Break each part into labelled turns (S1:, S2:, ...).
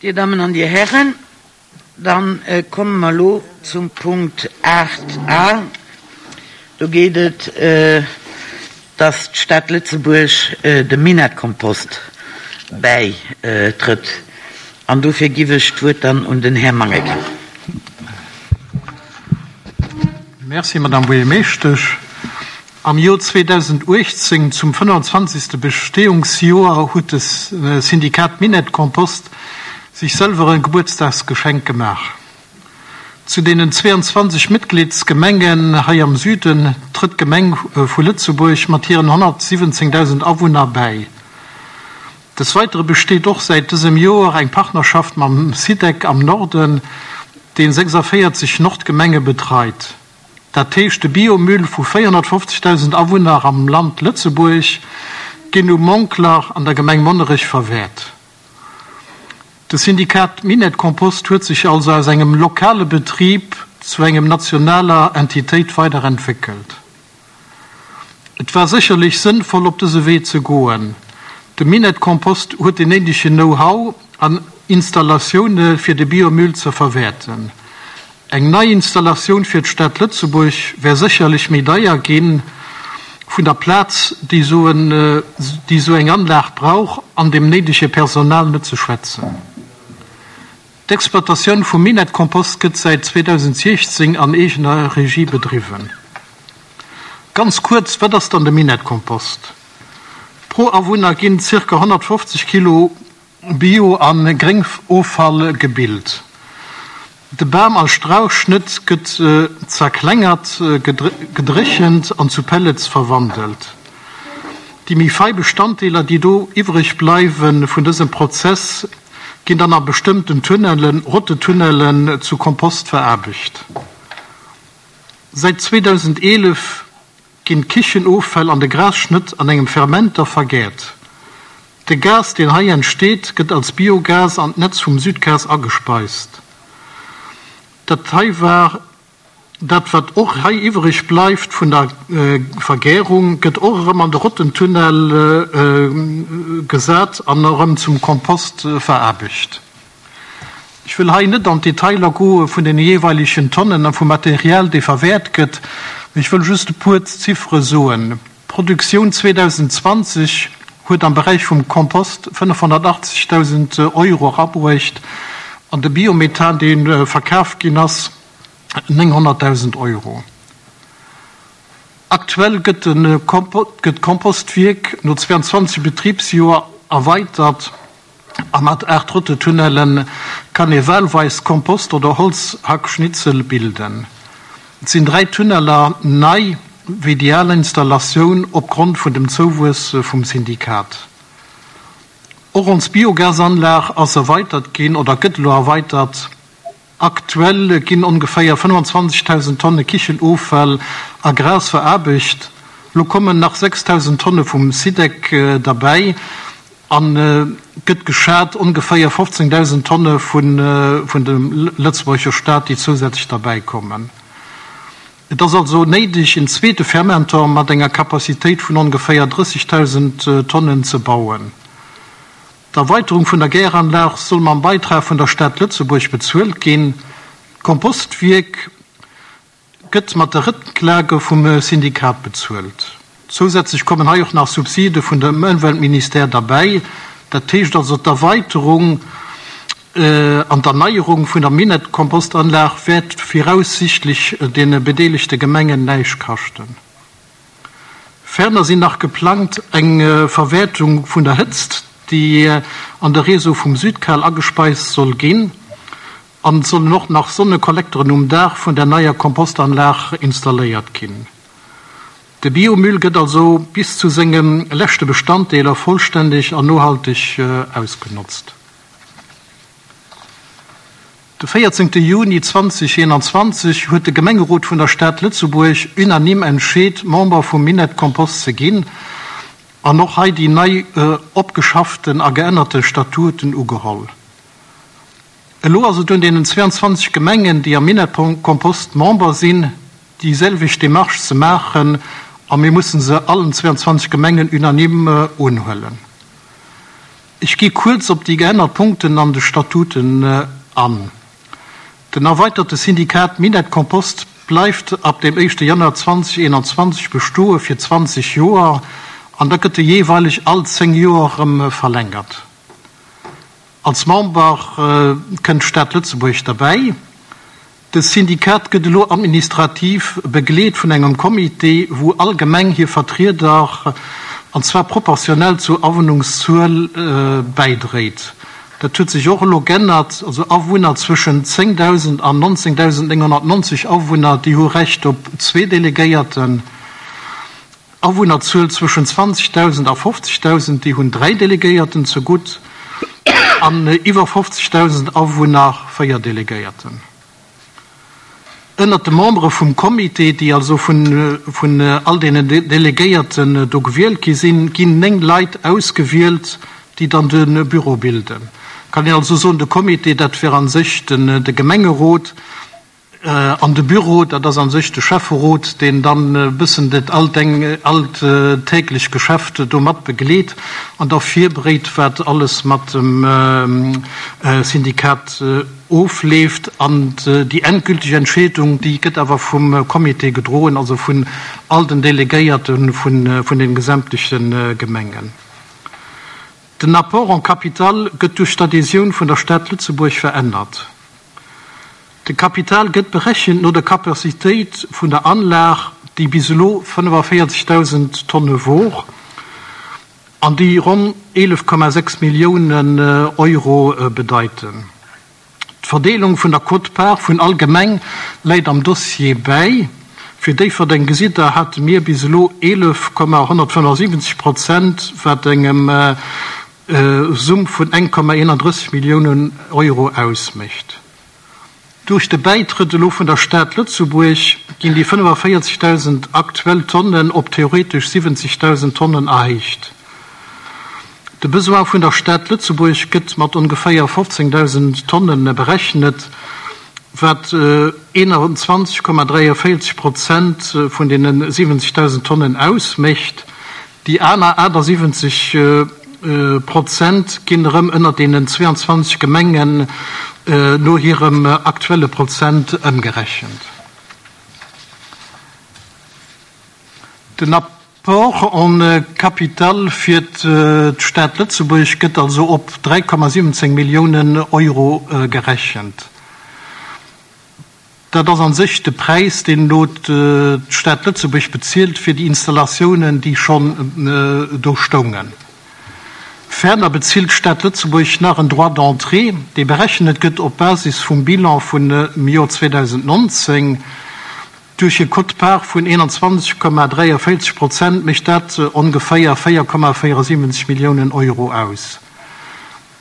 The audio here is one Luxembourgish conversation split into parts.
S1: Dir Dammen an Dir Hären, da komme mer elo zum Punkt 8 a. Do geet et, dass d'Stad Lëtzebuerg dem Minett-Kompost bäitrëtt. An dofir giff ech d'Wuert dann un den Här Mangen ginn.
S2: Merci, Madame Buergermeeschtesch. Am Jor 2018, zum 25. Bestehungsjoer, huet de Syndikat Minett Kompost sech sëlwer e Gebuertsdagsgeschenk gemaach. Zu deenen 22 Mitgliedsgemengen hei am Süden trëtt d'Gemeng vu Lëtzebuerg mat hiren 117.000 Awunner bäi. Des Weitere besteet och säit dësem Joer eng Partnerschaft mam SIDEC am Norden, deen 46 Nordgemenge betreit. Dat heescht de Biomüll vu 450.000 Awunner am Land Lëtzebuerg ginn um Monkler an der Gemeng Monnerech verwäert. De Syndikat Minett Kompost huet sech also aus engem lokale Betrib zu engem nationaler Entitéit weiderentwéckelt. Et war sécherlech sënnvoll op dëse Wee ze goen. De Minett Kompost huet den néidegen Know-how an Installatioune fir de Biomüll ze verwäerten. Eng nei Installatioun fir d'Stad Lëtzebuerg wär sécherlech méi deier ginn, vun der Plaz déi esou eng Anlag brauch an dem néidege Personal net ze schwätzen. D'Exploitatioun vum Minett-Kompost gëtt säit 2016 an eegener Regie bedriwwen. Ganz kuerz, wat ass dann de Minett-Kompost? Pro Awunner ginn zirka 150 Kilo Bio a Gréngoffall gebilt. De Bam a Strauchschnëtt gëtt zerklengert, gedréchent an zu Pellets verwandelt. Déi méi fei Bestanddeeler, déi do iwwreg bleiwe vun dësem Prozess, ginn dann a bestëmmten Tunnellen, Rottetunnellen, zu Kompost veraarbecht. Säit 2011 ginn d'Kichenoffäll an de Grasschnëtt an engem Fermenter vergäert. De Gas, deen hei entsteet, gëtt als Biogas an d'Netz vum Südgas agespeist. Dat hei war dat, wat och hei iwwereg bleift vun der Vergärung, gëtt och erëm an de Rottentunnel gesat an erëm zum Kompost veraarbecht. Ech wëll hei net an d'Detailer goe vun den jeeweilegen Tonnen a vum Material, dee verwäert gëtt, mee ech wëll just e puer Ziffere soen. D'Produktioun 2020 huet am Beräich vum Kompost 580.000 Euro erabruecht an de Biomethan, dee verkaf ginn ass, 900.000 Euro. Aktuell gëtt d'Kompostwierk no 22 Betribsjoer erweitert. A mat 8 Rottetunnelle kann ee wahlweis Kompost oder Holzhackschnitzel bilden. Et sinn 3 Tunneller nei wéi déi al Installatioun opgrond vun dem Zouwuess vum Syndikat. Och ons Biogasanlag ass erweitert ginn oder gëtt elo erweitert. Aktuell ginn ongeféier 25.000 Tonne Kichenoffall a Gras veraarbecht. Lo kommen nach 6.000 Tonne vum Sidec derbäi a gëtt geschat ongeféier 15.000 Tonne vun dem Lëtzebuerger Staat, déi zousätzlech derbäi kommen. Et ass also néideg, en zweete Fermentor mat enger Capacitéit vun ongeféier 30.000 Tonnen ze bauen. D'Erweiterung vun der Gäranlag soll mam Beitrag vun der Stad Lëtzebuerg bezuelt ginn. D'Kompostwierk gëtt mat de Rëcklage vum Syndikat bezuelt. Zousätzlech kommen hei och nach Subside vun dem Ëmweltministère derbäi. Dat heescht also, d'Erweiterung an d'Erneierung vun der Minett-Kompostanlag wäert viraussichtlech deene bedeelegte Gemengen näischt kaschten. Ferner sinn nach geplangt eng Verwäertung vun der Hëtzt, déi an de Réseau vum Südcal agespeist soll ginn, an et sollen och nach Sonnekollekteren um Daach vun der neier Kompostanlag installéiert ginn. De Biomüll gëtt also bis zu senge leschte Bestanddeeler vollständeg an nohalteg ausgenotzt. De 14 Juni 2021 huet de Gemengerot vun der Stad Lëtzebuerg unanime entscheet, Member vum Minett Kompost ze ginn an och hei déi nei opgeschafften a geännerte Statuten ugeholl. Elo ass et un deenen 22 Gemengen, déi am Minett Kompost Member sinn, déi selwecht Demarche ze maachen a mir mussen se allen 22 Gemengen unanime unhuelen. Ech gi kuerz op déi geännert Punkten an de Statuten an. Den erweiterte Syndikat Minett Kompost bleift ab dem éischte Januar 2021 bestoe fir 20 Joer an da gëtt e jeeweileg all 10 Joer erëm verlängert. Als Member kënnt d'Stad Lëtzebuerg derbäi. De Syndikat gëtt elo administrativ begleet vun engem Comité, wou all Gemeng hir Vertrieder, an zwar proportionell zur Awunnungszuel, bäidréit. Dat huet sech och elo g'ännert, also Awunner zwëschen 10.000 an 19.990 Awunner, déi hu Recht op zwee Delegéierten. Awunnerzuel zwëschen 20.000 a 50.000, déi hunn dräi Delegéierten zegutt, an iwwer 50.000 Awunner véier Delegéierten. Ënnert de Membere vum Comité, déi also vun all deenen Delegéierten do gewielt gi sinn, ginn 9 Leit ausgewielt, déi dann de Büro bilden. Kann een also soen, de Comité, dat wär a sech de Gemengerot, An de Büro, dat ass a sech de Schäfferot, deen dann e bëssen dat alltäglecht Geschäft do mat begleet an da virbereet, wat alles mat dem Syndikat ofleeft. An déi endgültig Entscheedung, déi gëtt awer vum Comité gedroen, also vun all den Delegéierte vun de gesämtleche Gemengen. Den Apport en capital gëtt duerch d'Adhésioun vun der Stad Lëtzebuerg verännert. De Kapital gëtt berechent no der Capacitéit vun der Anlag, déi bis elo 45.000 Tonne wor an déi ronn 11,6 Milliounen Euro bedeiten. D'Verdeelung vun der Quote-part vun all Gemeng läit am Dossier bäi. Fir Déifferdeng gesitt Der, hate mir bis elo 11,175 Prozent, wat engem Summ vun 1,31 Milliounen Euro ausmécht. Duerch de Bäitrëtt elo vun der Stad Lëtzebuerg ginn déi 45.000 aktuell Tonnen op theoretesch 70.000 Tonnen erhéicht. De Besoin vun der Stad Lëtzebuerg gëtt mat ongeféier 15.000 Tonne berechnet, wat 21,43 Prozent vun deene 70.000 Tonnen ausmécht. Déi aner 78 Prozent ginn erëm ënner deenen 22 Gemengen no hirem aktuelle Prozent ëmgerechent. Den Apport en capital fir d'Stad Lëtzebuerg gëtt also op 3,17 Milliounen Euro gerechent. Dat ass a sech de Präis, deen elo d'Stad Lëtzebuerg bezilt fir déi Installatiounen, déi schonn do stoungen. Ferner bezilt d'Stad Lëtzebuerg nach en Droit d'entrée, dee berechnet gëtt op Basis vum Bilan vun dem Joer 2019. Duerch e Quote-part vun 21,43 Prozent mécht dat ongeféier 4,74 Milliounen Euro aus.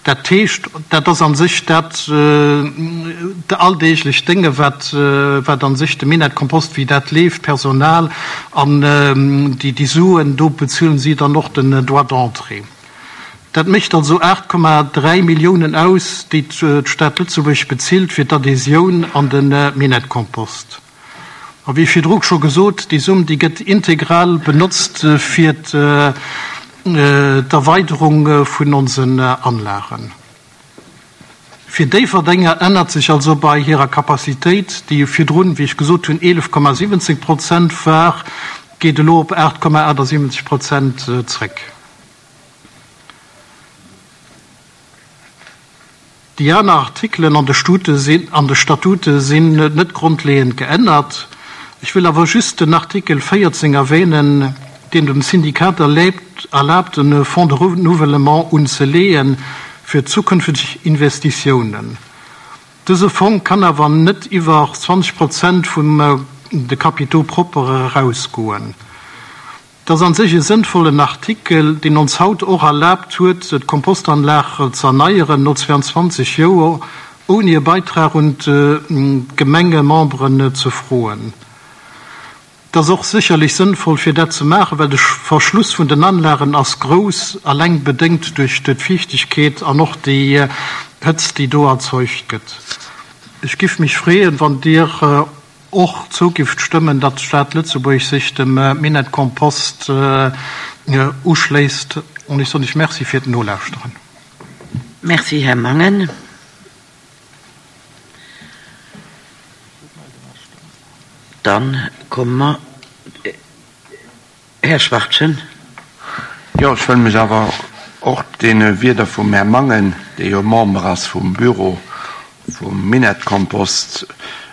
S2: Dat heescht, dat ass a sech dat alldeeglecht Dénge wat wat a sech de Minett-Kompost, wéi dat leeft, d'Personal an déi Suen, do bezuelen si dann och den Droit d'entrée. Dat mécht also 8,3 Milliounen aus, déi d'Stad Lëtzebuerg bezilt fir d'Adhésioun an de Minett-Kompost. A wéi virdru scho gesot, déi Summ, déi gëtt integral benotzt fir d'Erweiderung vun onsen Anlagen. Fir Déifferdenger ännert sech also bei hirer Capacitéit, déi virdrun, wéi ech gesot hunn, 11,17 Prozent war, geet elo op 8,78 Prozent zréck. Déi aner Artikelen an de an de Statute sinn net grondleeënd geännert. Ech wëll awer just den Artikel 14 erwähnen, deen dem Syndikat erlaabt, e Fonds de renouvellement unzeleeë fir zukünfteg Investitiounen. Dëse Fong kann awer net iwwer 20 Prozent vum de Capitaux propres erausgoen. Et ass an sech e sënnvollen Artikel, deen ons haut och erlaabt huet, d'Kompostanlag ze erneieren no 22 Joer, ouni e Beitrag un d'Gemengememberen ze froen. Et ass och sécherlech sënnvoll, fir dat ze maachen, well de Verschluss vun den Anlagen ass grouss, alleng bedéngt duerch d'Fiichtegkeet an och déi Hëtzt, déi do erzeugt gëtt. Ech giff mech freeën, wann Dir och zougift stëmmen, datt d'Stad Lëtzebuerg sech dem Minett Kompost uschléisst. An ech soen lech Merci fir d'Nolauschteren.
S1: Merci, Här Mangen. Dann komme mer, Här Schwachtgen.
S3: Jo, ech wëll mech awer och deene Wierder vum Här Mangen, dee jo Member ass vum Büro vum Minettkompost,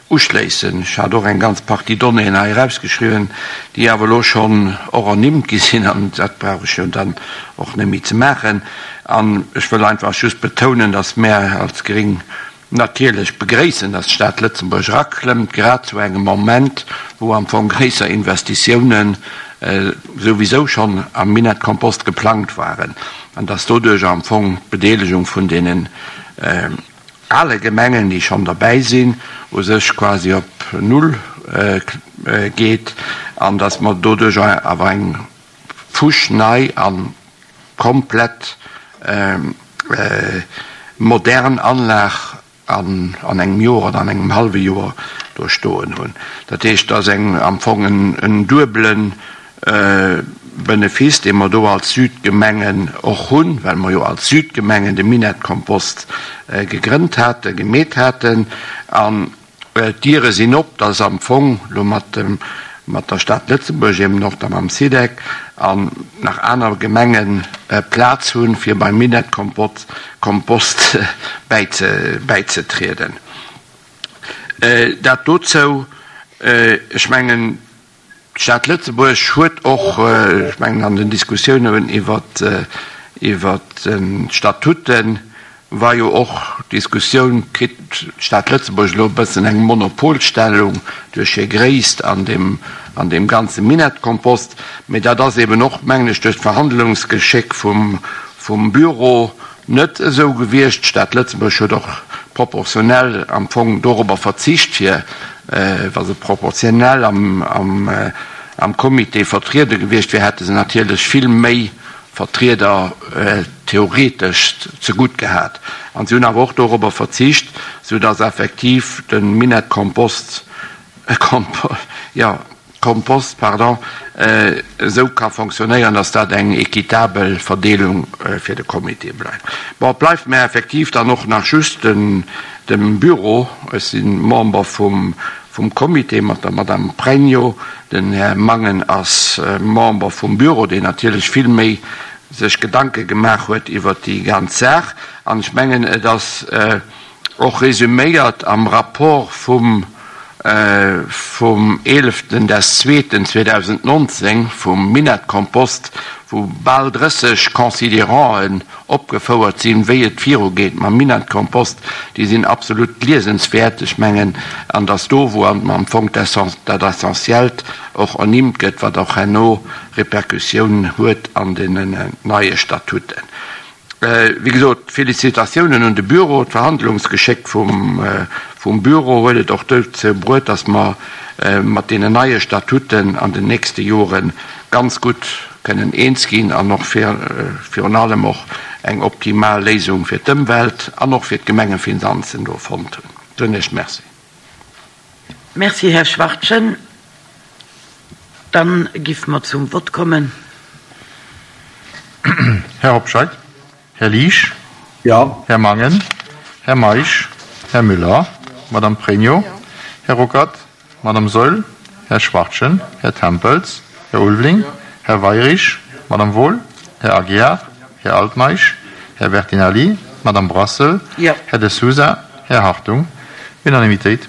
S3: uschléissen. Ech hat och eng ganz Partie Donnéeën hei erausgeschriwwen, déi awer elo schonn och ernimmt gi sinn, an dat brauch ech jo dann och net méi ze maachen. An ech wëll einfach just betounen, dass mär als Gréng Natierlech begréissen, datt d'Stad Lëtzebuerg eraklëmmt, grad zu engem Moment, wou am Fong gréisser Investitiounen souwisou schonn am Minettkompost geplangt waren, an datt doduerch am Fong d'Bedeelegung vun deenen ale Gemengen, déi schonn derbäi sinn, u sech quasi op Null geet, an datt mer doduerch awer eng fuschnei a komplett modern Anlag an engem Joer oder an engem hallwe Joer do stoen hunn. Dat heescht, et ass eng am Fong en duebele Benefice, dee mer do als Südgemengen och hunn, well mer jo als Südgemengen de Minettkompost gegrënnt haten, gemeet haten. An D'Diere sinn op, dass am Fong elo mat dem, mat der Stad Lëtzebuerg, eben och da mam SIDEC an nach aner Gemenge Plaz hunn, fir beim Minettkompost Kompost bäize, bäizetrieden. Dat dozou. Ech mengen, D'Stad Lëtzebuerg huet och, ech mengen an den Diskussiounen iwwert d'Statuten war jo och d'Diskussioun, kritt d'Stad Lëtzebuerg elo e bëssen eng Monopolstellung duerch hir Gréisst an deem an deem ganze Minettkompost. Mee dat ass eben och, mengen ech, duerch d'Verhandlungsgeschéck vum Büro Net esou gewiescht. D'Stad Lëtzebuerg huet och proportionell am Fong dorobber verzicht, fir, wa se proportionell am Comité vertriede gewiescht wier, hätte se natierlech vill méi Vertrieder theoretesch zegutt gehat. An si hunn awer och dorobber verzicht, soudass effektiv de Minettkompost, jo, Kompost, pardon, esou ka fonctionnéieren, dass dat eng équitabel Verdeelung fir de Comité bleift. Bon, et bleift mär effektiv dann och nach just den, dem Bureau. Ech si Member vum, vum Comité mat der Madame Pregno. Den Här Mangen ass Member vum Bureau, deen natierlech vill méi sech Gedanke gemaach huet iwwert déi ganz Saach. An ech mengen, et ass, Och resuméiert am Rapport vum vum eeleften des zweeten 2019 vum Minettkompost, wou bal 30 Considéranten opgefouert sinn, wéi et virugeet mam Minettkompost, déi sinn absolut liesenswäert. Ech mengen, an dass do, wou am Fong dat Essentiellt och ernimmt gëtt, wat och herno Répercussioun huet an deenen neie Statuten. Wéi gesot, Félicitatiounen un de Bureau. D'Verhandlungsgeschéck vum Bureau huet et och dozou bruet, dass mer mat deenen neie Statuten an den nächste Jore ganz gutt kënnen eens ginn an och virun allem och eng optimal Léisung fir d'Ëmwelt an och fir d'Gemengefinanzen do fonnt hunn. Soen Iech Merci.
S1: Merci, Här Schwachtgen. Dann giff mer zum Vott kommen.
S4: Här Hobscheit. Här Liesch.
S5: Jo.
S4: Här Mangen. Här Meisch. Här Müller. Madame Pregno. Här Ruckert. Madame Saeul. Här Schwachtgen. Här Tempels. Här Ulveling. Här Weyrich. Madame Wohl. Här Aguiar. Här Altmeisch. Här Bertinelli. Madame Brassel.
S1: Jo.
S4: Här De Sousa. Här Hartung. Unanimitéit.